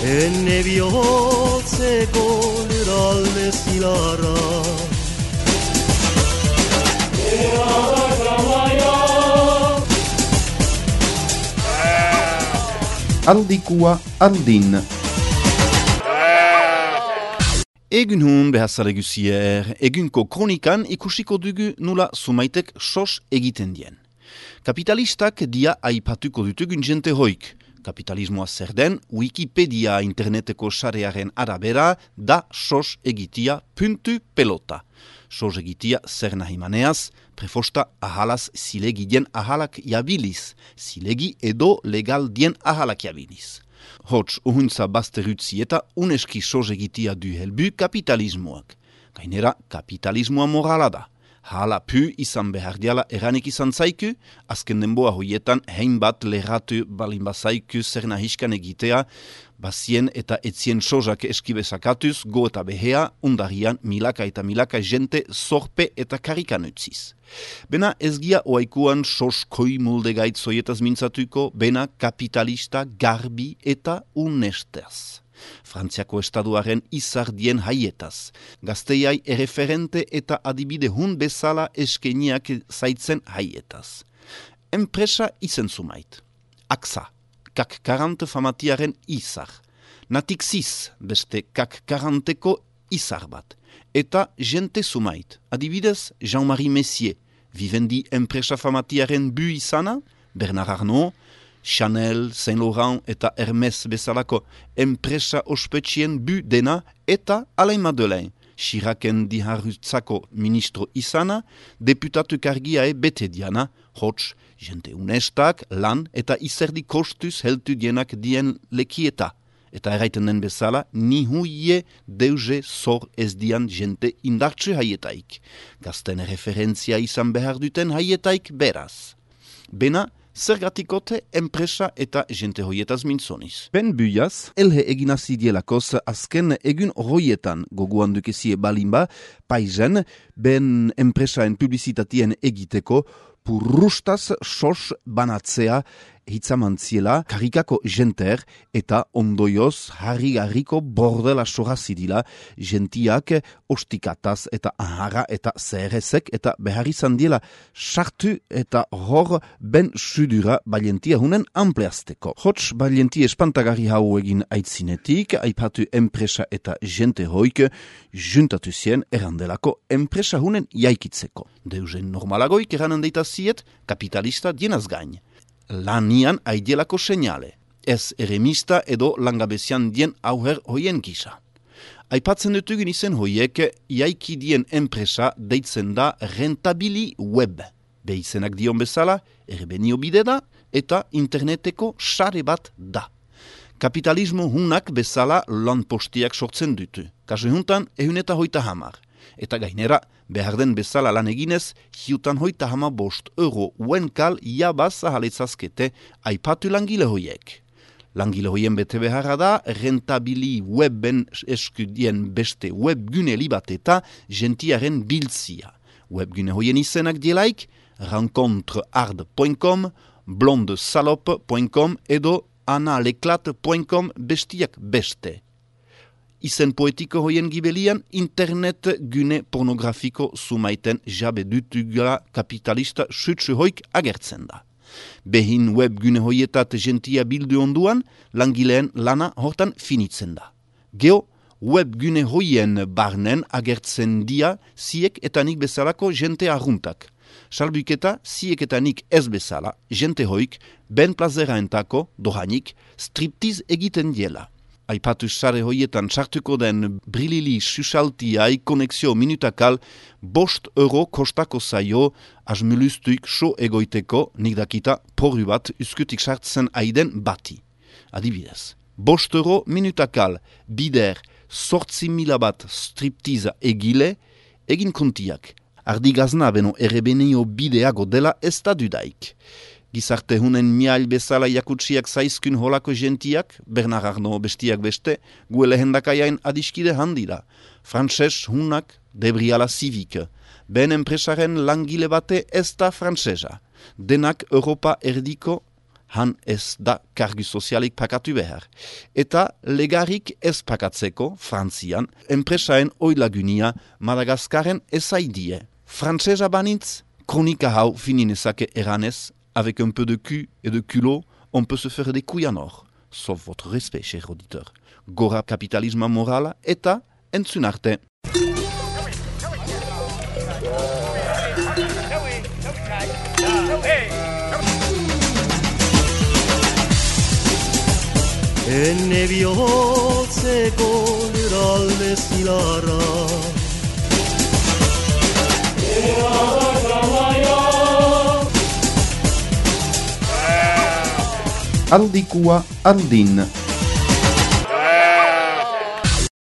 Enne bihotzeko lurralde zilarra Handikua handin. Egun hun behatzale guzier, egunko kronikan ikusiko dugu nula sumaitek sos egiten dien. Kapitalistak dia aipatuko dutugun jente hoik. Kapitalismoa zer den, Wikipedia interneteko sarearen arabera da sos egitia puntu pelota. Sos egitia zer nahi maneaz, prefosta ahalaz zilegi dien ahalak jabiliz, zilegi edo legal dien ahalak jabiliz. Hots uhuntza bazterutzi eta uneski sos egitia du helbu kapitalismoak. Gainera, kapitalismoa morala da. Hala pu izan behar diala eranik izan zaiku, azken denboa hoietan hainbat lerratu balin bazaiku zer nahiskan egitea, bazien eta etzien sosak eskibezakatuz, go eta behea, undarian milaka eta milaka jente zorpe eta karikan utziz. Bena ez gia oaikuan sos koi mulde gaitzoietaz mintzatuko, bena kapitalista garbi eta unestaz. Frantziako estaduaren izardien haietaz. Gazteiai erreferente eta adibide hun bezala eskeniak zaitzen haietaz. Enpresa izen zumait. AXA, CAC 40 famatiaren izar. Natixis, beste CAC 40ko izar bat. Eta jente zumait. Adibidez, Jean-Marie Messier, vivendi enpresa famatiaren bu izana, Bernard Arnault, Chanel, Saint Laurent eta Hermes bezalako enpresa ospetsien bu dena eta Alain Madeleine, Chiracen diharrutzako ministro izana, deputatu kargiae bete diana, hots, jente unestak, lan eta izerdi kostuz heltu dienak dien lekieta. Eta eraiten den bezala, ni huie deuze zor ez dian jente indartsu haietaik. Gazten referentzia izan behar duten haietaik beraz. Bena, zergatikote enpresa eta jente hoietaz mintzoniz. Ben buiaz, elhe eginazi dielakoz azken egun hoietan goguan dukezie balinba, paizen, ben enpresaen publizitatien egiteko, purrustaz sos banatzea hitzamantziela karikako jenter eta ondoioz harri-harriko bordela sorazidila jentiak ostikataz eta aharra eta zeherezek eta behar izan diela sartu eta hor ben sudura balientia hunen ampleazteko. Hots balientia espantagarri hau egin aitzinetik, aipatu enpresa eta jente hoik juntatu zien erandelako enpresa hunen jaikitzeko. Deuzen normalagoik eranen deitaziet kapitalista dienaz gain. Lanian aidelako seinale, ez eremista edo langabezian dien auher hoien gisa. Aipatzen dutugun izen hoiek, jaiki dien enpresa deitzen da rentabili web. Behizenak dion bezala, erbenio bide da eta interneteko sare bat da. Kapitalismo hunak bezala lanpostiak sortzen dutu. Kasu juntan, 150. Eta gainera, behar den bezala lan eginez, hiutan 150 euro uenkal jabaz ahaletzazkete aipatu langile hoiek. Langile hoien bete beharra da, rentabili webben eskudien beste webgune libat eta gentiaren biltzia. Webgune hoien izenak dielaik, rencontreard.com, blondesalop.com edo analeclat.com bestiak beste. Izen poetiko hoien gibelian, internet gune pornografiko sumaiten jabe dutugala kapitalista sutsu hoik agertzen da. Behin web gune hoietat gentia bildu onduan, langileen lana hortan finitzen da. Geo, web gune hoien barnen agertzen dia ziek eta nik bezalako jente arruntak. Salbuketa ziek eta nik ez bezala, jente hoik, ben plazeraentako, dohanik, striptiz egiten diela. Aipatu sare hoietan sartuko den brilili susaltiai konexio minutakal 5 euro kostako zaio asmulustuik so egoiteko nik dakita porru bat uskutik sartzen aiden bati. Adibidez, 5 euro minutakal bider 8.000 bat striptiza egile egin kontiak. Ardigazna beno errebenio bideago dela ez da dudaik. Gizarte hunen miail bezala jakutsiak zaizkun holako gentiak, Bernard Arnault bestiak beste, gue lehendakaiain adiskide handira. Frantses hunak debriala civic, ben enpresaren langile bate ez da frantsesa. Denak Europa erdiko han ez da kargu sozialik pakatu behar. Eta legarik ez pakatzeko, Frantzian, enpresaen oilagunia Madagaskaren ezaidie. Frantsesa banintz, kronika hau fininezake eranez, avec un peu de cul et de culot, on peut se faire des couilles en or. Sauf votre respect, cher auditeur. Gora kapitalisma morala eta entzun arte. Enne bihotzeko lurralde zilarra Handikua handin.